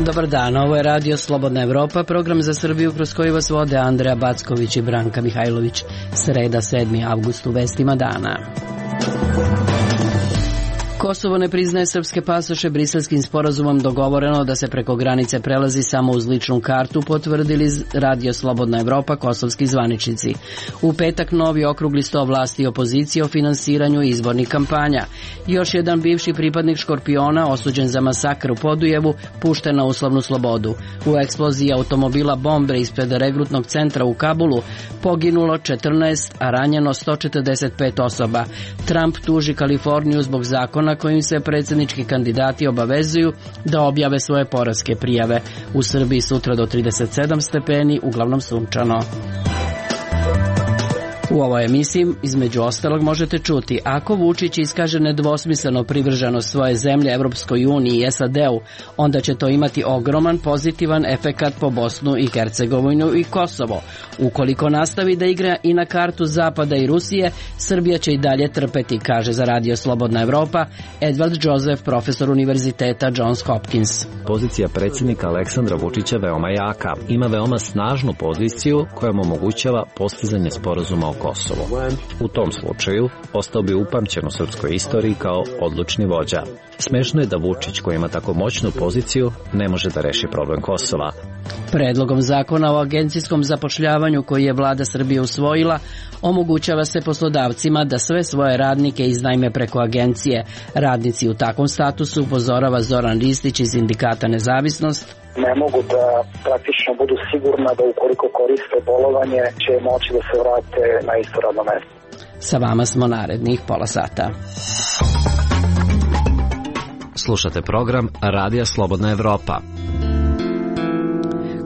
Dobar dan, ovo je Radio Slobodna Evropa, program za Srbiju kroz koji vas vode Andreja Backović i Branka Mihajlović. Sreda, 7. avgust, u vestima dana. Kosovo ne priznaje srpske pasoše. Briselskim sporazumom dogovoreno da se preko granice prelazi samo uz ličnu kartu, potvrdili Radio Slobodna Evropa kosovski zvaničnici. U petak novi okrugli sto vlasti i opozicije o finansiranju izbornih kampanja. Još jedan bivši pripadnik Škorpiona, osuđen za masakr u Podujevu, pušten na uslovnu slobodu. U eksploziji automobila bombe ispred regrutnog centra u Kabulu poginulo 14, a ranjeno 145 osoba. Trump tuži Kaliforniju zbog zakona kojim se predsjednički kandidati obavezuju da objave svoje poreske prijave. U Srbiji sutra do 37 stepeni, uglavnom sunčano. U ovoj emisiji, između ostalog, možete čuti: ako Vučić iskaže nedvosmisleno privrženost svoje zemlje Evropskoj uniji i SAD-u, onda će to imati ogroman pozitivan efekat po Bosnu i Hercegovinu i Kosovo. Ukoliko nastavi da igra i na kartu Zapada i Rusije, Srbija će i dalje trpeti, kaže za Radio Slobodna Evropa Edward Joseph, profesor univerziteta Johns Hopkins. Pozicija predsjednika Aleksandra Vučića veoma jaka. Ima veoma snažnu poziciju koja mu omogućava postizanje sporazuma o Kosovu. U tom slučaju ostao bi upamćen u srpskoj istoriji kao odlučni vođa. Smešno je da Vučić, koji ima tako moćnu poziciju, ne može da reši problem Kosova. Predlogom zakona o agencijskom zapošljavanju koji je vlada Srbije usvojila, omogućava se poslodavcima da sve svoje radnike iznajme preko agencije. Radnici u takvom statusu, upozorava Zoran Ristić iz Sindikata Nezavisnost, ne mogu da praktično budu sigurna da ukoliko koriste bolovanje će moći da se vrate na isto radno mesto. Sa vama smo narednih pola sata. Slušate program Radija Slobodna Evropa.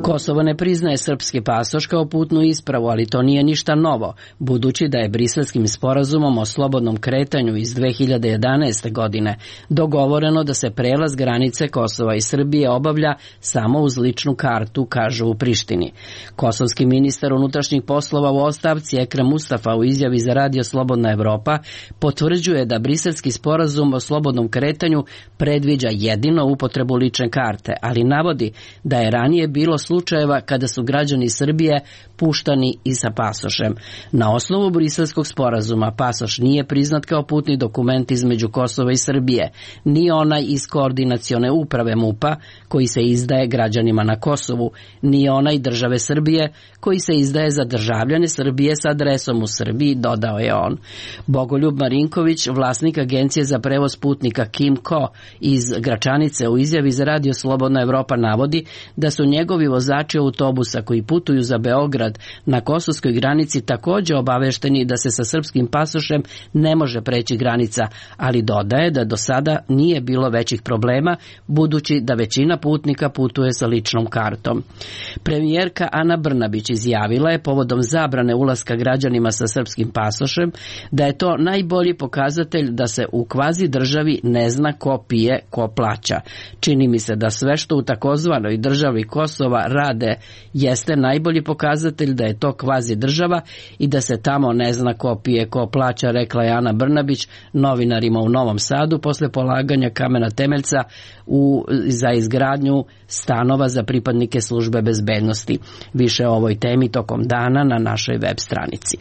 Kosovo ne priznaje srpski pasoš kao putnu ispravu, ali to nije ništa novo, budući da je Briselskim sporazumom o slobodnom kretanju iz 2011. godine dogovoreno da se prelaz granice Kosova i Srbije obavlja samo uz ličnu kartu, kažu u Prištini. Kosovski ministar unutrašnjih poslova u ostavci Ekrem Mustafa u izjavi za Radio Slobodna Evropa potvrđuje da Briselski sporazum o slobodnom kretanju predviđa jedino upotrebu lične karte, ali navodi da je ranije bilo slučajeva kada su građani Srbije puštani i sa pasošem. Na osnovu Briselskog sporazuma pasoš nije priznat kao putni dokument između Kosova i Srbije, ni onaj iz koordinacione uprave MUP-a koji se izdaje građanima na Kosovu, ni onaj države Srbije koji se izdaje za državljane Srbije sa adresom u Srbiji, dodao je on. Bogoljub Marinković, vlasnik agencije za prevoz putnika Kimco iz Gračanice, u izjavi za Radio Slobodna Evropa navodi da su njegovi vozači autobusa koji putuju za Beograd na kosovskoj granici također obavešteni da se sa srpskim pasošem ne može preći granica, ali dodaje da do sada nije bilo većih problema, budući da većina putnika putuje sa ličnom kartom. Premijerka Ana Brnabić izjavila je povodom zabrane ulaska građanima sa srpskim pasošem da je to najbolji pokazatelj da se u kvazi državi ne zna ko pije, ko plaća. Čini mi se da sve što u takozvanoj državi Kosova rade jeste najbolji pokazatelj da je to kvazi država i da se tamo ne zna ko pije, ko plaća, rekla je Ana Brnabić novinarima u Novom Sadu posle polaganja kamena temeljca za izgradnju stanova za pripadnike službe bezbednosti. Više o ovoj temi tokom dana na našoj web stranici.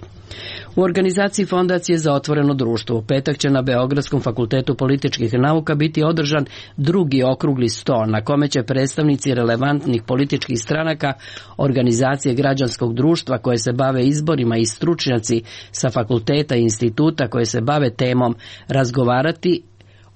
U organizaciji Fondacije za otvoreno društvo u petak će na Beogradskom fakultetu političkih nauka biti održan drugi okrugli sto na kome će predstavnici relevantnih političkih stranaka, organizacije građanskog društva koje se bave izborima i stručnjaci sa fakulteta i instituta koje se bave temom razgovarati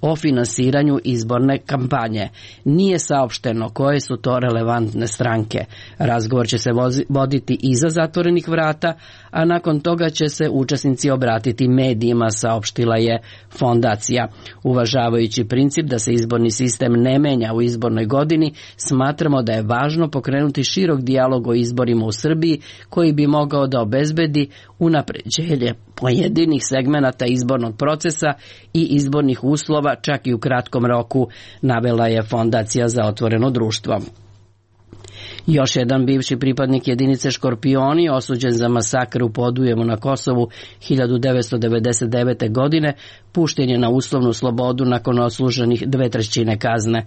o finansiranju izborne kampanje. Nije saopšteno koje su to relevantne stranke. Razgovor će se voditi iza zatvorenih vrata, a nakon toga će se učesnici obratiti medijima, saopštila je fondacija. Uvažavajući princip da se izborni sistem ne menja u izbornoj godini, smatramo da je važno pokrenuti širok dijalog o izborima u Srbiji koji bi mogao da obezbedi unapređenje pojedinih segmenata izbornog procesa i izbornih uslova čak i u kratkom roku, navela je Fondacija za otvoreno društvo. Još jedan bivši pripadnik jedinice Škorpioni, osuđen za masakr u Podujevu na Kosovu 1999. godine, pušten je na uslovnu slobodu nakon odsluženih 2/3 kazne.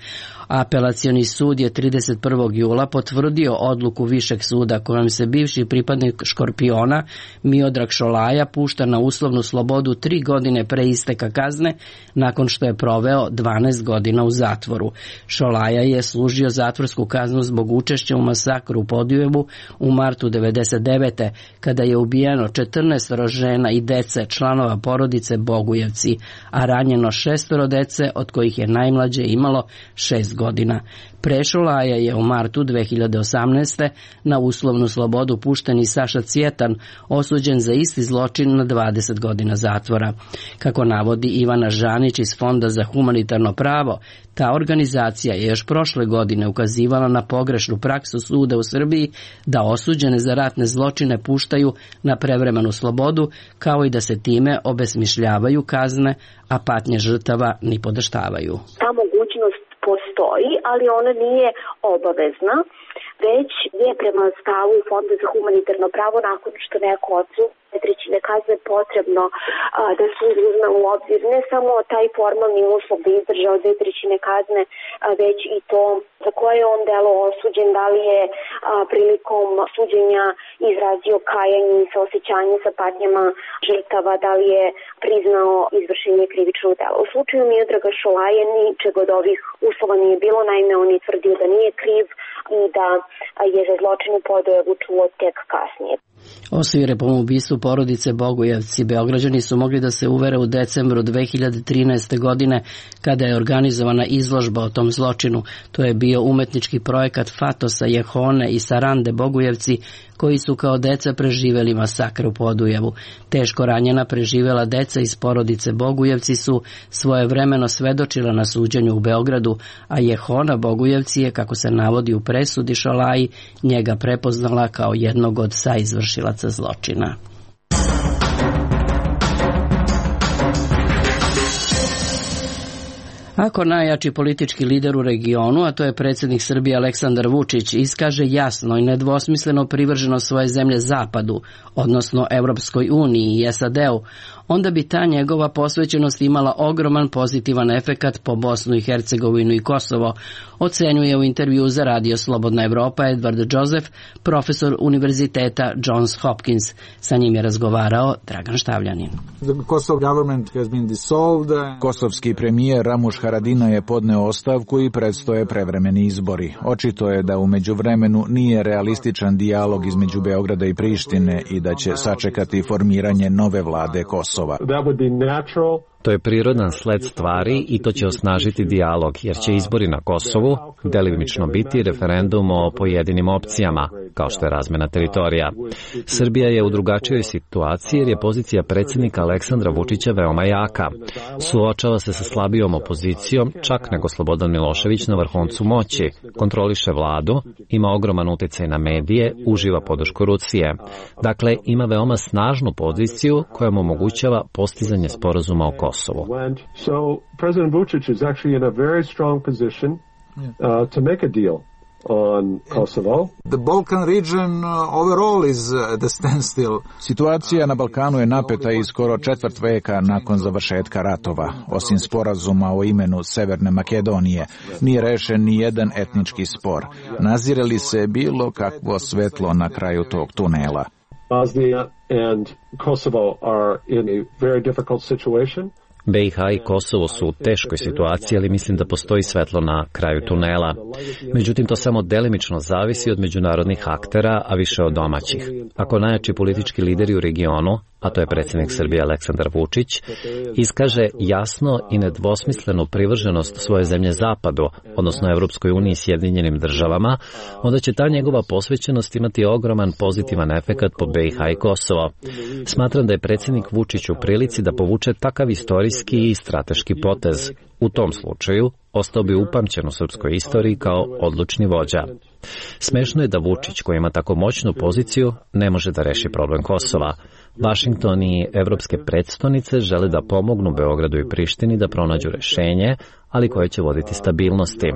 Apelacioni sud je 31. jula potvrdio odluku Višeg suda kojom se bivši pripadnik Škorpiona Miodrag Šolaja pušta na uslovnu slobodu 3 godine pre isteka kazne nakon što je proveo 12 godina u zatvoru. Šolaja je služio zatvorsku kaznu zbog učešća u masakru u Podujevu u martu 1999. kada je ubijeno 14 žena i dece članova porodice Bogujevci, a ranjeno 6 dece od kojih je najmlađe imalo 6 godina. Pre Šolaja je u martu 2018. na uslovnu slobodu pušten i Saša Cvjetan, osuđen za isti zločin na 20 godina zatvora. Kako navodi Ivana Žanić iz Fonda za humanitarno pravo, ta organizacija je još prošle godine ukazivala na pogrešnu praksu suda u Srbiji da osuđene za ratne zločine puštaju na prevremenu slobodu, kao i da se time obesmišljavaju kazne, a patnje žrtava ni podaštavaju. Ta mogućnost postoji, ali ona nije obavezna, već je prema stavu Fonda za humanitarno pravo nakon što neko odsluži 2/3 kazne potrebno da se uzme u obzir ne samo taj formalni uslov da izdržao 2/3 kazne, već i to za koje je on delo osuđen, da li je prilikom suđenja izrazio kajanje i saosećanje sa patnjama žrtava, da li je priznao izvršenje krivičnog dela. U slučaju Miodraga Šolaje ničeg od ovih uslova nije bilo, naime on je tvrdio da nije kriv i da je za zločin u Podujevu čuo tek kasnije. Osvire po ubistvu porodice Bogujevci Beograđani su mogli da se uvere u decembru 2013. godine kada je organizovana izložba o tom zločinu. To je bio umetnički projekat Fatosa Jehone i Sarande Bogujevci koji su kao deca preživeli masakr u Podujevu. Teško ranjena preživela deca iz porodice Bogujevci su svojevremeno svedočila na suđenju u Beogradu, a Jehona Bogujevci je, kako se navodi u presudi Šolaji, njega prepoznala kao jednog od saizvršilaca zločina. Ako najjači politički lider u regionu, a to je predsjednik Srbije Aleksandar Vučić, iskaže jasno i nedvosmisleno privrženost svoje zemlje Zapadu, odnosno Evropskoj uniji i SAD-u, onda bi ta njegova posvećenost imala ogroman pozitivan efekat po Bosnu i Hercegovinu i Kosovo, ocenjuje u intervju za Radio Slobodna Evropa Edward Joseph, profesor Univerziteta Johns Hopkins. Sa njim je razgovarao Dragan Štavljanin. Kosovski premijer Ramuš Haradinaj je podneo ostavku i predstoje prevremeni izbori. Očito je da u međuvremenu nije realističan dijalog između Beograda i Prištine i da će sačekati formiranje nove vlade Kosova. To je prirodan sled stvari i to će osnažiti dijalog, jer će izbori na Kosovu delimično biti referendum o pojedinim opcijama, kao što je razmena teritorija. Srbija je u drugačijoj situaciji jer je pozicija predsjednika Aleksandra Vučića veoma jaka. Suočava se sa slabijom opozicijom, čak nego Slobodan Milošević na vrhuncu moći, kontroliše vladu, ima ogroman uticaj na medije, uživa podršku Rusije. Dakle, ima veoma snažnu poziciju koja mu omogućava postizanje sporazuma o Kosovu. So President Vučić is actually in a very strong position to make a deal on Kosovo. The Balkan region overall is the standstill. Situacija na Balkanu je napeta i skoro četvrt veka nakon završetka ratova. Osim sporazuma o imenu Severne Makedonije, nije rešen ni jedan etnički spor. Nazire li se bilo kakvo svetlo na kraju tog tunela? Bosnia and Kosovo are in a very difficult situation. BiH i Kosovo su u teškoj situaciji, ali mislim da postoji svetlo na kraju tunela. Međutim, to samo delimično zavisi od međunarodnih aktera, a više od domaćih. Ako najjači politički lideri u regionu, a to je predsjednik Srbije Aleksandar Vučić, iskaže jasno i nedvosmislenu privrženost svoje zemlje Zapadu, odnosno Evropskoj uniji i Sjedinjenim državama, onda će ta njegova posvećenost imati ogroman pozitivan efekat po BiH i Kosovo. Smatram da je predsjednik Vučić u prilici da povuče takav istorijski i strateški potez. U tom slučaju ostao bi upamćen u srpskoj istoriji kao odlučni vođa. Smešno je da Vučić, koji ima tako moćnu poziciju, ne može da reši problem Kosova. Vašington i evropske predstavnice žele da pomognu Beogradu i Prištini da pronađu rešenje, ali koje će voditi stabilnosti.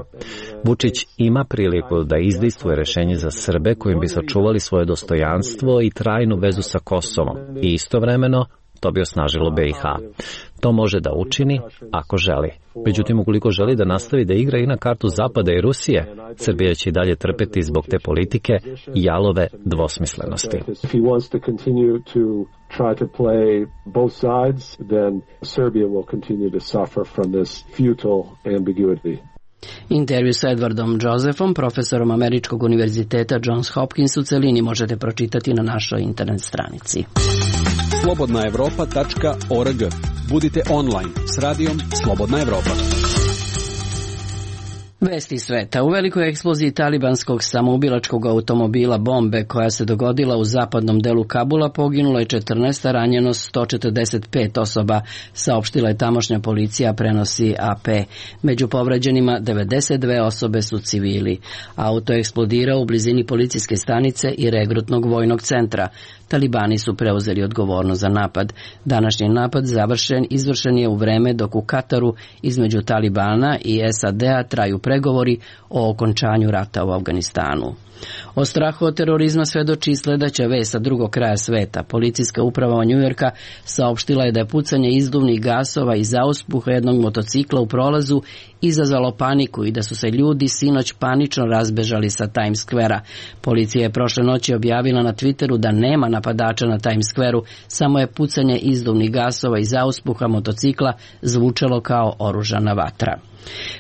Vučić ima priliku da izdejstvuje rešenje za Srbe kojim bi sačuvali svoje dostojanstvo i trajnu vezu sa Kosovom i istovremeno to bi osnažilo BiH. To može da učini ako želi. Međutim, ukoliko želi da nastavi da igra i na kartu Zapada i Rusije, Srbija će i dalje trpeti zbog te politike i jalove dvosmislenosti. Try to play both sides, then Serbia will continue to suffer from this futile ambiguity. Intervju sa Edwardom Josephom, profesorom Američkog univerziteta Johns Hopkins, u celini možete pročitati na našoj internet stranici. slobodnaevropa.org. Budite online s radijom Slobodna Evropa. Vesti sveta. U velikoj eksploziji talibanskog samoubilačkog automobila bombe koja se dogodila u zapadnom delu Kabula poginulo je 14, a ranjeno 145 osoba, saopštila je tamošnja policija, prenosi AP. Među povređenima 92 osobe su civili. Auto je eksplodirao u blizini policijske stanice i regrutnog vojnog centra. Talibani su preuzeli odgovornost za napad. Današnji napad izvršen je u vreme dok u Kataru između Talibana i SAD-a traju pregovori o okončanju rata u Afganistanu. O strahu od terorizma svedoči sledeća vest sa drugog kraja sveta. Policijska uprava Njujorka saopštila je da je pucanje izduvnih gasova iz auspuha jednog motocikla u prolazu izazvalo paniku i da su se ljudi sinoć panično razbežali sa Times Square-a. Policija je prošle noći objavila na Twitteru da nema napadača na Times Square-u, samo je pucanje izduvnih gasova iz auspuha motocikla zvučalo kao oružana vatra.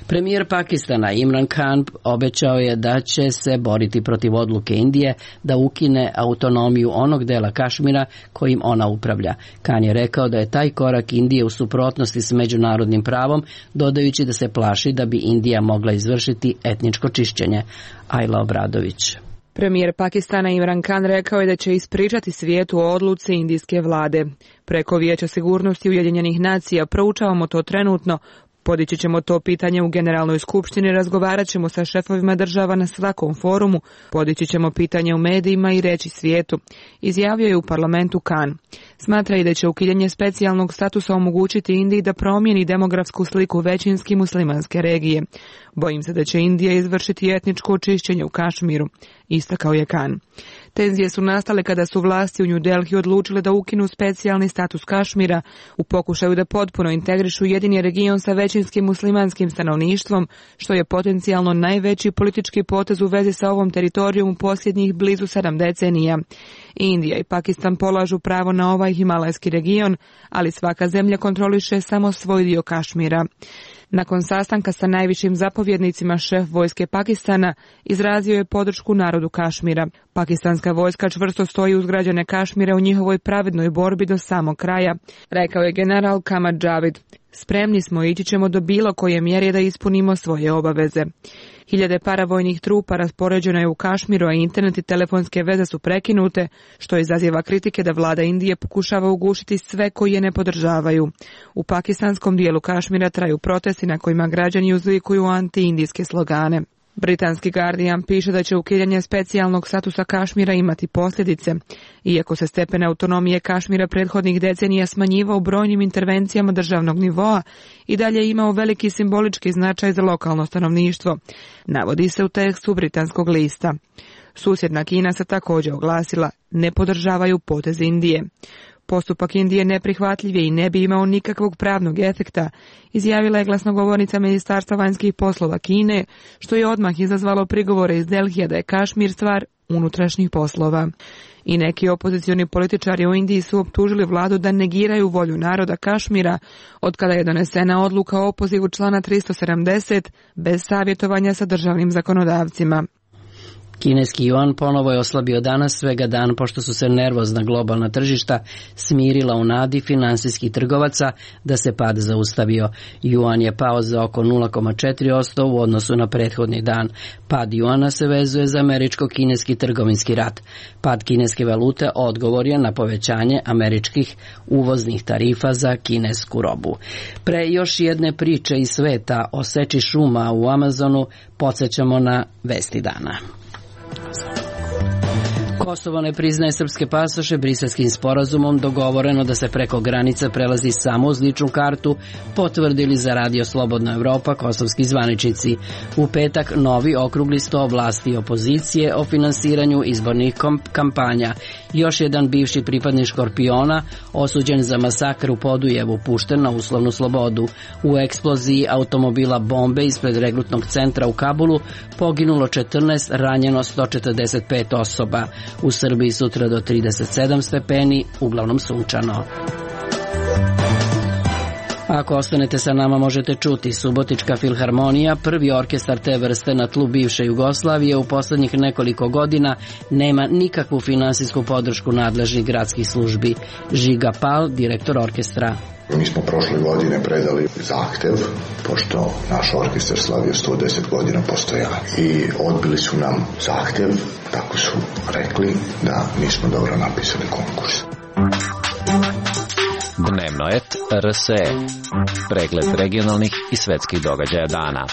Premijer Pakistana Imran Khan obećao je da će se boriti protiv odluke Indije da ukine autonomiju onog dela Kašmira kojim ona upravlja. Khan je rekao da je taj korak Indije u suprotnosti s međunarodnim pravom, dodajući da se plaši da bi Indija mogla izvršiti etničko čišćenje. Ajla Obradović. Premijer Pakistana Imran Khan rekao je da će ispričati svijetu o odluci indijske vlade. Preko Vijeća sigurnosti Ujedinjenih nacija proučavamo to trenutno. Podići ćemo to pitanje u Generalnoj skupštini, razgovarat ćemo sa šefovima država na svakom forumu, podići ćemo pitanje u medijima i reći svijetu, izjavio je u parlamentu Khan. Smatra i da će ukidanje specijalnog statusa omogućiti Indiji da promijeni demografsku sliku većinski muslimanske regije. Bojim se da će Indija izvršiti etničko očišćenje u Kašmiru, istakao je Khan. Tenzije su nastale kada su vlasti u New Delhi odlučile da ukinu specijalni status Kašmira u pokušaju da potpuno integrišu jedini region sa većinskim muslimanskim stanovništvom, što je potencijalno najveći politički potez u vezi sa ovom teritorijom u posljednjih blizu 7 decenija. Indija i Pakistan polažu pravo na ovaj himalajski region, ali svaka zemlja kontroliše samo svoj dio Kašmira. Nakon sastanka sa najvišim zapovjednicima, šef vojske Pakistana izrazio je podršku narodu Kašmira. Pakistanska vojska čvrsto stoji uz građane Kašmira u njihovoj pravednoj borbi do samog kraja, rekao je general Kamar Javid. Spremni smo i ići ćemo do bilo koje mjere da ispunimo svoje obaveze. Hiljade paravojnih trupa raspoređeno je u Kašmiru, a internet i telefonske veze su prekinute, što izaziva kritike da vlada Indije pokušava ugušiti sve koji je ne podržavaju. U pakistanskom dijelu Kašmira traju protesti na kojima građani uzlikuju anti-indijske slogane. Britanski Guardian piše da će ukidanje specijalnog statusa Kašmira imati posljedice. Iako se stepen autonomije Kašmira prethodnih decenija smanjivao brojnim intervencijama državnog nivoa, i dalje imao veliki simbolički značaj za lokalno stanovništvo, navodi se u tekstu britanskog lista. Susjedna Kina se također oglasila, ne podržavaju potez Indije. Postupak Indije neprihvatljiv je i ne bi imao nikakvog pravnog efekta, izjavila je glasnogovornica Ministarstva vanjskih poslova Kine, što je odmah izazvalo prigovore iz Delhija da je Kašmir stvar unutrašnjih poslova. I neki opozicioni političari u Indiji su optužili vladu da negiraju volju naroda Kašmira, otkada je donesena odluka o opozivu člana 370 bez savjetovanja sa državnim zakonodavcima. Kineski juan ponovo je oslabio danas, svega dan pošto su se nervozna globalna tržišta smirila u nadi finansijskih trgovaca da se pad zaustavio. Juan je pao za oko 0,4% u odnosu na prethodni dan. Pad juana se vezuje za američko-kineski trgovinski rat. Pad kineske valute odgovor je na povećanje američkih uvoznih tarifa za kinesku robu. Pre još jedne priče iz sveta o seči šuma u Amazonu podsjećamo na vesti dana. Kosovo ne priznaje srpske pasoše. Briselskim sporazumom dogovoreno da se preko granica prelazi samo uz ličnu kartu, potvrdili za Radio Slobodna Evropa kosovski zvaničnici. U petak novi okrugli sto vlasti i opozicije o finansiranju izbornih kampanja. Još jedan bivši pripadnik Škorpiona, osuđen za masakr u Podujevu, pušten na uslovnu slobodu. U eksploziji automobila bombe ispred regrutnog centra u Kabulu poginulo 14, ranjeno 145 osoba. U Srbiji sutra do 37 stepeni, uglavnom sunčano. Ako ostanete sa nama možete čuti Subotička filharmonija, prvi orkestar te vrste na tlu bivše Jugoslavije, u poslednjih nekoliko godina nema nikakvu finansijsku podršku nadležnih gradskih službi. Žiga Pal, direktor orkestra. Mi smo prošle godine predali zahtev, pošto naš orkestar slavio 110 godina postojanja, i odbili su nam zahtev, tako su rekli da nismo dobro napisali konkurs. Dnevnoet RSE. Pregled regionalnih i svetskih događaja dana.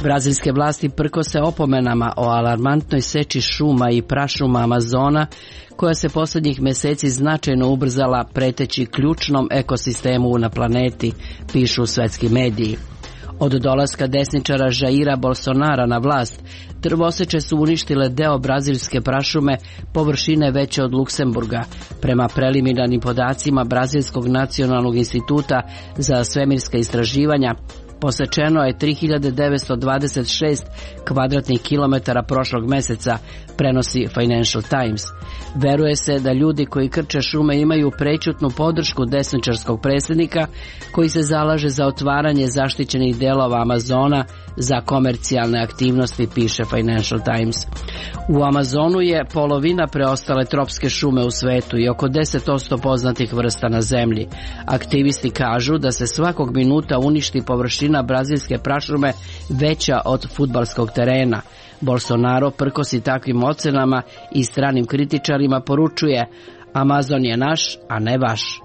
Brazilske vlasti prkose opomenama o alarmantnoj seči šuma i prašuma Amazona, koja se poslednjih meseci značajno ubrzala preteći ključnom ekosistemu na planeti, pišu svetski mediji. Od dolaska desničara Jaira Bolsonara na vlast, drvoseče su uništile deo brazilske prašume površine veće od Luksemburga. Prema preliminarnim podacima Brazilskog nacionalnog instituta za svemirska istraživanja, posečeno je 3926 kvadratnih kilometara prošlog meseca, prenosi Financial Times. Veruje se da ljudi koji krče šume imaju prećutnu podršku desničarskog predsjednika koji se zalaže za otvaranje zaštićenih delova Amazona za komercijalne aktivnosti, piše Financial Times. U Amazonu je polovina preostale tropske šume u svetu i oko 10% poznatih vrsta na zemlji. Aktivisti kažu da se svakog minuta uništi površina brazilske prašume veća od fudbalskog terena. Bolsonaro, prkosi takvim ocenama i stranim kritičarima, poručuje: Amazon je naš, a ne vaš.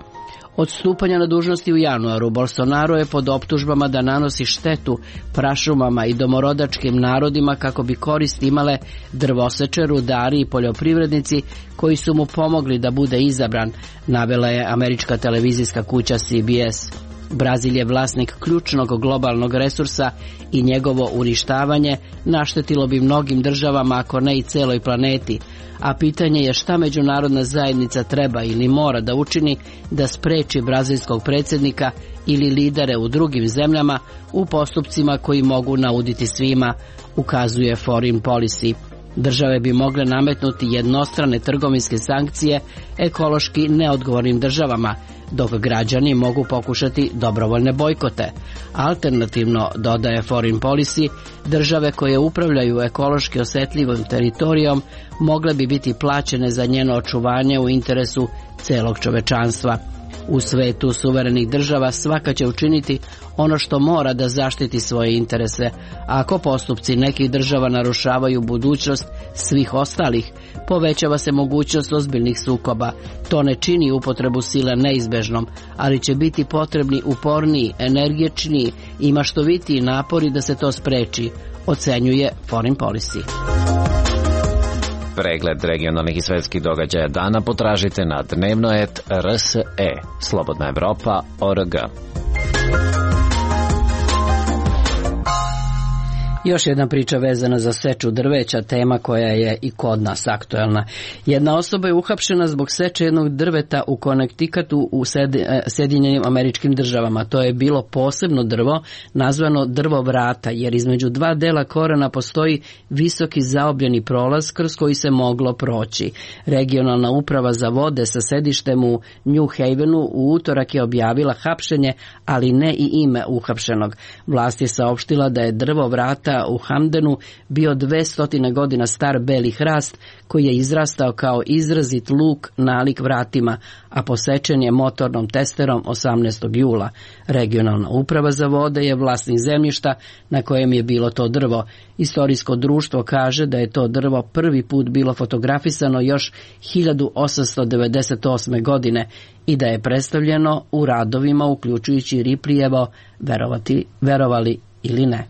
Od stupanja na dužnosti u januaru, Bolsonaro je pod optužbama da nanosi štetu prašumama i domorodačkim narodima kako bi korist imale drvoseče, rudari i poljoprivrednici koji su mu pomogli da bude izabran, navela je američka televizijska kuća CBS. Brazil je vlasnik ključnog globalnog resursa i njegovo uništavanje naštetilo bi mnogim državama, ako ne i celoj planeti, a pitanje je šta međunarodna zajednica treba ili mora da učini da spreči brazilskog predsjednika ili lidere u drugim zemljama u postupcima koji mogu nauditi svima, ukazuje Foreign Policy. Države bi mogle nametnuti jednostrane trgovinske sankcije ekološki neodgovornim državama, dok građani mogu pokušati dobrovoljne bojkote. Alternativno, dodaje Foreign Policy, države koje upravljaju ekološki osetljivim teritorijom mogle bi biti plaćene za njeno očuvanje u interesu celog čovečanstva. U svetu suverenih država svaka će učiniti ono što mora da zaštiti svoje interese. Ako postupci nekih država narušavaju budućnost svih ostalih, povećava se mogućnost ozbiljnih sukoba. To ne čini upotrebu sile neizbežnom, ali će biti potrebni uporniji, energičniji i maštovitiji napori da se to spreči, ocenjuje Foreign Policy. Pregled regionalnih i svetskih događaja dana potražite na dnevnoet RSE, Slobodna Evropa.org. Još jedna priča vezana za seču drveća, tema koja je i kod nas aktuelna. Jedna osoba je uhapšena zbog seče jednog drveta u Connecticutu u Sjedinjenim Američkim Državama. To je bilo posebno drvo, nazvano drvo vrata, jer između dva dela korena postoji visoki zaobljeni prolaz kroz koji se moglo proći. Regionalna uprava za vode sa sedištem u New Havenu u utorak je objavila hapšenje, ali ne i ime uhapšenog. Vlast je saopštila da je drvo vrata u Hamdenu bio 200 godina star beli hrast koji je izrastao kao izrazit luk nalik vratima, a posečen je motornom testerom 18. jula. Regionalna uprava za vode je vlasnik zemljišta na kojem je bilo to drvo. Istorijsko društvo kaže da je to drvo prvi put bilo fotografisano još 1898. godine i da je predstavljeno u radovima uključujući Ripleyjevo Verovali ili ne.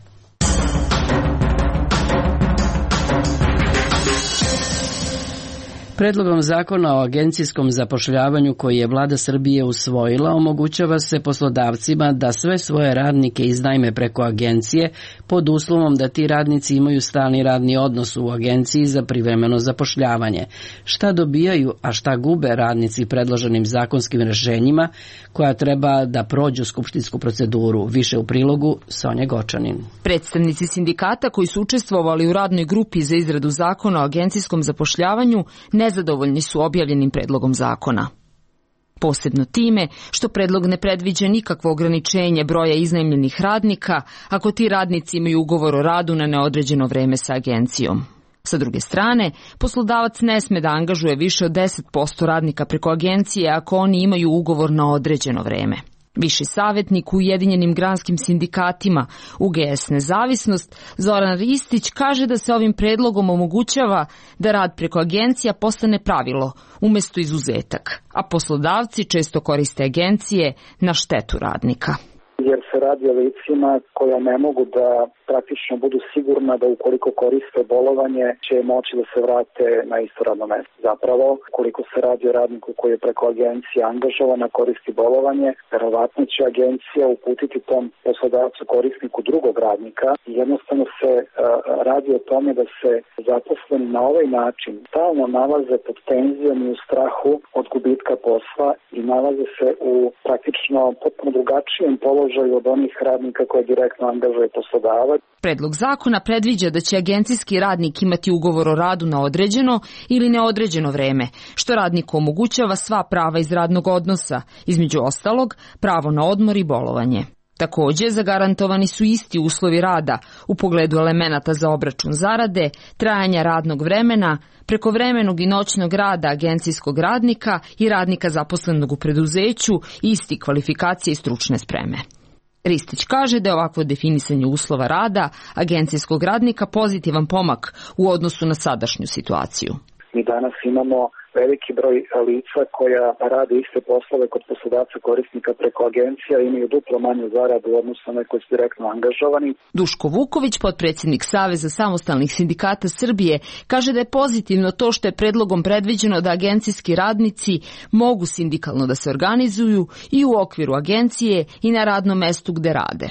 Predlogom zakona o agencijskom zapošljavanju koji je vlada Srbije usvojila, omogućava se poslodavcima da sve svoje radnike iznajme preko agencije pod uslovom da ti radnici imaju stalni radni odnos u agenciji za privremeno zapošljavanje. Šta dobijaju, a šta gube radnici predloženim zakonskim rešenjima koja treba da prođu skupštinsku proceduru? Više u prilogu Sonja Gočanin. Predstavnici sindikata koji su učestvovali u radnoj grupi za izradu zakona o agencijskom zapošljavanju nezadovoljni su objavljenim predlogom zakona. Posebno time što predlog ne predviđa nikakvo ograničenje broja iznajmljenih radnika ako ti radnici imaju ugovor o radu na neodređeno vreme sa agencijom. Sa druge strane, poslodavac ne sme da angažuje više od 10% radnika preko agencije ako oni imaju ugovor na određeno vreme. Viši savjetnik u Ujedinjenim granskim sindikatima UGS Nezavisnost Zoran Ristić kaže da se ovim predlogom omogućava da rad preko agencija postane pravilo umjesto izuzetak, a poslodavci često koriste agencije na štetu radnika. Jer se radi o licima koja ne mogu da praktično budu sigurna da ukoliko koriste bolovanje će moći da se vrate na isto radno mesto. Zapravo, ukoliko se radi o radniku koji je preko agencije angažovan, koristi bolovanje, verovatno će agencija uputiti tom poslodavcu korisniku drugog radnika i jednostavno se radi o tome da se zaposleni na ovaj način stalno nalaze pod tenzijom i u strahu od gubitka posla i nalaze se u praktično potpuno drugačijem položaju od onih radnika koje direktno angažuje poslodavac. Predlog zakona predviđa da će agencijski radnik imati ugovor o radu na određeno ili neodređeno vreme, što radniku omogućava sva prava iz radnog odnosa, između ostalog pravo na odmor i bolovanje. Također, zagarantovani su isti uslovi rada u pogledu elemenata za obračun zarade, trajanja radnog vremena, prekovremenog i noćnog rada agencijskog radnika i radnika zaposlenog u preduzeću, isti kvalifikacije i stručne spreme. Ristić kaže da je ovakvo definisanje uslova rada agencijskog radnika pozitivan pomak u odnosu na sadašnju situaciju. Mi danas imamo veliki broj lica koja rade iste poslove kod poslodavca korisnika preko agencija i imaju duplo manju zaradu u odnosu na koji su direktno angažovani. Duško Vuković, potpredsjednik Saveza samostalnih sindikata Srbije, kaže da je pozitivno to što je predlogom predviđeno da agencijski radnici mogu sindikalno da se organizuju i u okviru agencije i na radnom mestu gde rade.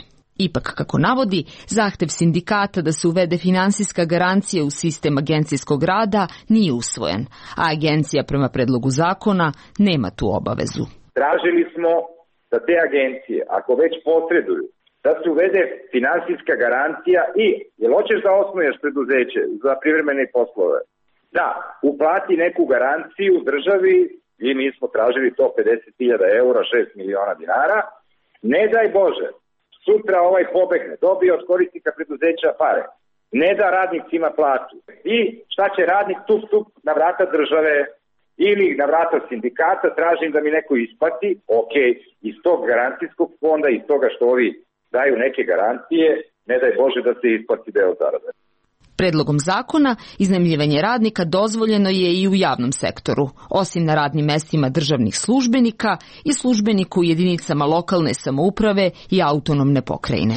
Ipak, kako navodi, zahtev sindikata da se uvede finansijska garancija u sistem agencijskog rada nije usvojen, a agencija prema predlogu zakona nema tu obavezu. Tražili smo da te agencije, ako već posreduju, da se uvede finansijska garancija i, jel hoćeš da osnuješ preduzeće za privremene poslove? Da, uplati neku garanciju državi i mi smo tražili to 50.000 eura, 6 miliona dinara, ne daj Bože. Sutra ovaj pobegne, dobije od korisnika preduzeća pare, ne da radnicima platu. I šta će radnik tup na vrata države ili na vrata sindikata, tražim da mi neko isplati, ok, iz tog garancijskog fonda, iz toga što ovi daju neke garancije, ne daj Bože da se isplati deo zarade. Predlogom zakona iznajmljivanje radnika dozvoljeno je i u javnom sektoru, osim na radnim mestima državnih službenika i službenika u jedinicama lokalne samouprave i autonomne pokrajine.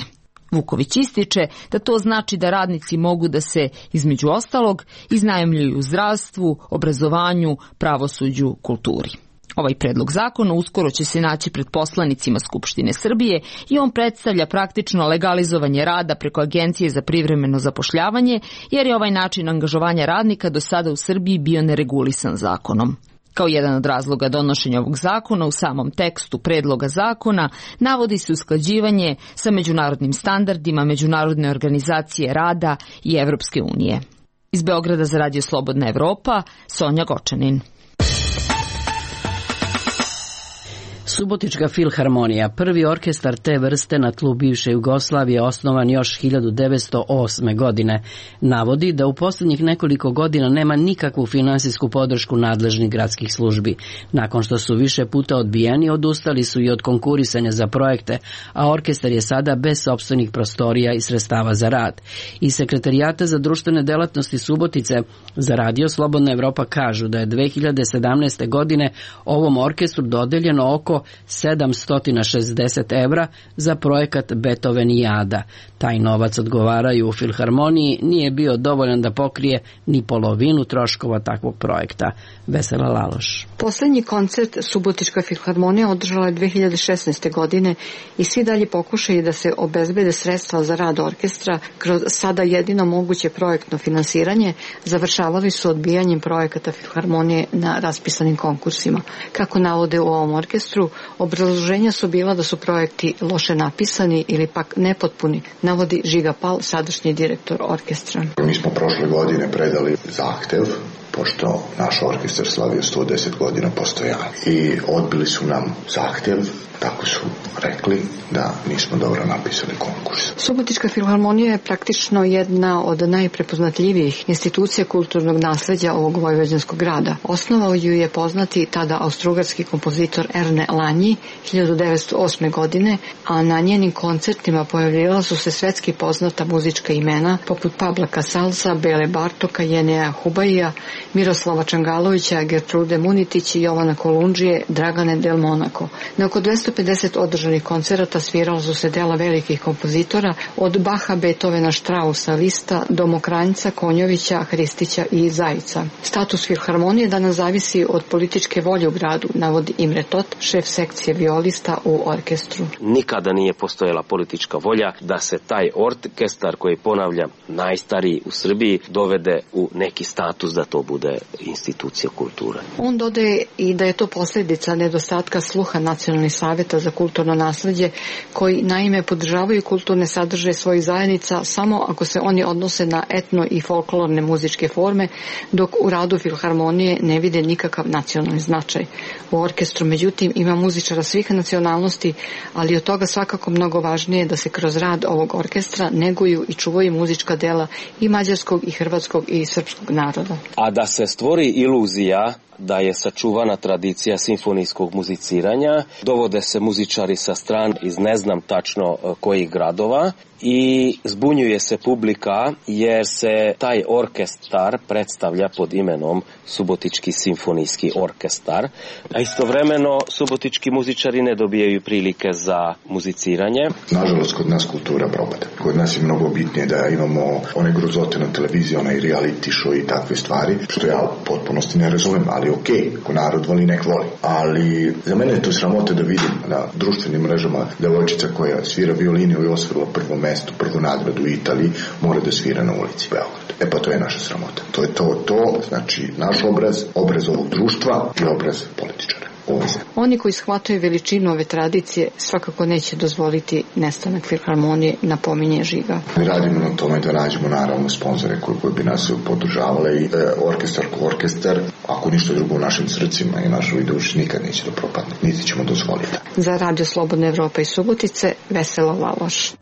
Vuković ističe da to znači da radnici mogu da se, između ostalog, iznajmljuju u zdravstvu, obrazovanju, pravosuđu, kulturi. Ovaj predlog zakona uskoro će se naći pred poslanicima Skupštine Srbije i on predstavlja praktično legalizovanje rada preko Agencije za privremeno zapošljavanje, jer je ovaj način angažovanja radnika do sada u Srbiji bio neregulisan zakonom. Kao jedan od razloga donošenja ovog zakona u samom tekstu predloga zakona navodi se usklađivanje sa međunarodnim standardima Međunarodne organizacije rada i Evropske unije. Iz Beograda za Radio Slobodna Evropa, Sonja Gočanin. Subotička filharmonija, prvi orkestar te vrste na tlu bivše Jugoslavije, osnovan još 1908. godine, navodi da u posljednjih nekoliko godina nema nikakvu finansijsku podršku nadležnih gradskih službi. Nakon što su više puta odbijeni, odustali su i od konkurisanja za projekte, a orkestar je sada bez sopstvenih prostorija i sredstava za rad. Iz Sekretarijata za društvene delatnosti Subotice za Radio Slobodna Evropa kažu da je 2017. godine ovom orkestru dodeljeno oko 760 evra za projekat Beethoven i Ada. Taj novac, odgovaraju u Filharmoniji, nije bio dovoljan da pokrije ni polovinu troškova takvog projekta. Vesela Laloš. Poslednji koncert Subotička filharmonija održala je 2016. godine i svi dalje pokušaju da se obezbede sredstva za rad orkestra kroz sada jedino moguće projektno finansiranje završavali su odbijanjem projekata filharmonije na raspisanim konkursima. Kako navode u ovom orkestru, obrazloženja su bila da su projekti loše napisani ili pak nepotpuni, navodi Žiga Pal, sadašnji direktor orkestra. Mi smo prošle godine predali zahtev, pošto naš orkestar slavio 110 godina postojanja. I odbili su nam zahtev, tako su rekli da nismo dobro napisali konkurs. Subotička filharmonija je praktično jedna od najprepoznatljivijih institucija kulturnog nasleđa ovog vojvođanskog grada. Osnovao ju je poznati tada austrougarski kompozitor Erne Lanyi 1908. godine, a na njenim koncertima pojavljivala su se svetski poznata muzička imena poput Pabla Casalsa, Bele Bartoka, Jeneja Hubaija, Miroslava Čangalovića, Gertrude Munitić i Jovana Kolundžije, Dragane Del Monaco. Na oko 250 održanih koncerata svirala su se dela velikih kompozitora od Baha, Beethovena, Strausa, Lista do Mokranjca, Konjovića, Hristića i Zajica. Status filharmonije danas zavisi od političke volje u gradu, navodi Imre Tot, šef sekcije violista u orkestru. Nikada nije postojala politička volja da se taj orkestar, koji ponavljam najstariji u Srbiji, dovede u neki status da to bude institucija kulture. On dodaje i da je to posljedica nedostatka sluha Nacionalnih saveta za kulturno nasleđe, koji naime podržavaju kulturne sadržaje svojih zajednica samo ako se oni odnose na etno i folklorne muzičke forme, dok u radu filharmonije ne vide nikakav nacionalni značaj. U orkestru, međutim, ima muzičara svih nacionalnosti, ali od toga svakako mnogo važnije da se kroz rad ovog orkestra neguju i čuvaju muzička dela i mađarskog i hrvatskog i srpskog naroda. A da se stvori iluzija da je sačuvana tradicija simfonijskog muziciranja, dovode se muzičari sa stran iz ne znam tačno kojih gradova i zbunjuje se publika jer se taj orkestar predstavlja pod imenom Subotički simfonijski orkestar, a istovremeno subotički muzičari ne dobijaju prilike za muziciranje. Nažalost, kod nas kultura propada. Kod nas je mnogo bitnije da imamo one grozote na televiziji, onaj reality show i takve stvari, što ja u potpunosti ne razumem, ali okej, ako narod voli, nek voli. Ali za mene je to sramota da vidim na društvenim mrežama devojčica koja svira violinu i osvojila prvo mesto, prvu nagradu u Italiji, mora da svira na ulici Beograd. Pa to je naša sramota. To je to, znači naš obraz ovog društva i obraz političara. Oni koji shvataju veličinu ove tradicije svakako neće dozvoliti nestanak filharmonije, napominje Žiga. Mi radimo na tome da nađemo naravno sponzore koji bi nas podržavale i orkestar, ako ništa drugo u našim srcima i našoj duši nikad neće da propadne, niti ćemo dozvoliti. Za Radio Slobodna Evropa iz Subotice, Vesela Laloš.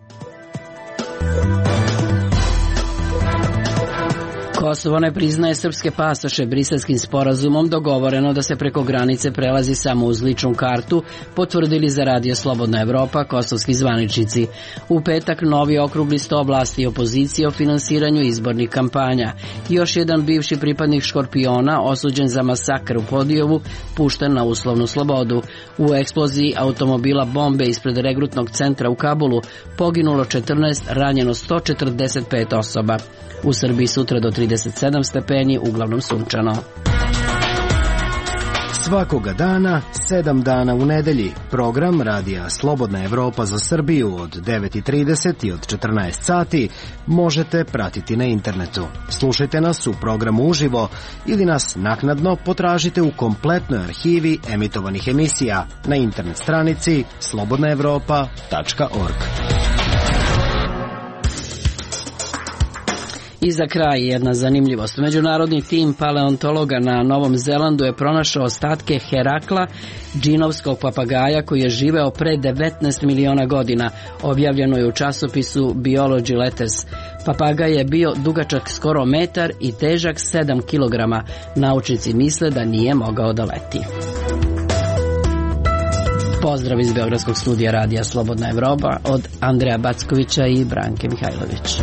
Kosovo ne priznaje srpske pasoše. Briselskim sporazumom dogovoreno da se preko granice prelazi samo uz ličnu kartu, potvrdili za Radio Slobodna Evropa kosovski zvaničnici. U petak novi okrugli sto vlasti i opozicije o finansiranju izbornih kampanja. Još jedan bivši pripadnik Škorpiona, osuđen za masakr u Podijevu, pušten na uslovnu slobodu. U eksploziji automobila bombe ispred regrutnog centra u Kabulu poginulo 14, ranjeno 145 osoba. U Srbiji sutra do 37 stepeni, uglavnom sunčano. Svakoga dana, 7 dana u nedelji. Program Radija Slobodna Evropa za Srbiju od 9:30 i od 14 sati možete pratiti na internetu. Slušajte nas u programu uživo ili nas naknadno potražite u kompletnoj arhivi emitovanih emisija na internet stranici slobodnaevropa.org. I za kraj jedna zanimljivost. Međunarodni tim paleontologa na Novom Zelandu je pronašao ostatke Herakla, džinovskog papagaja koji je živeo pre 19 miliona godina. Objavljeno je u časopisu Biology Letters. Papagaj je bio dugačak skoro metar i težak 7 kilograma. Naučnici misle da nije mogao da leti. Pozdrav iz Beogradskog studija Radija Slobodna Evropa od Andreja Backovića i Branke Mihajlović.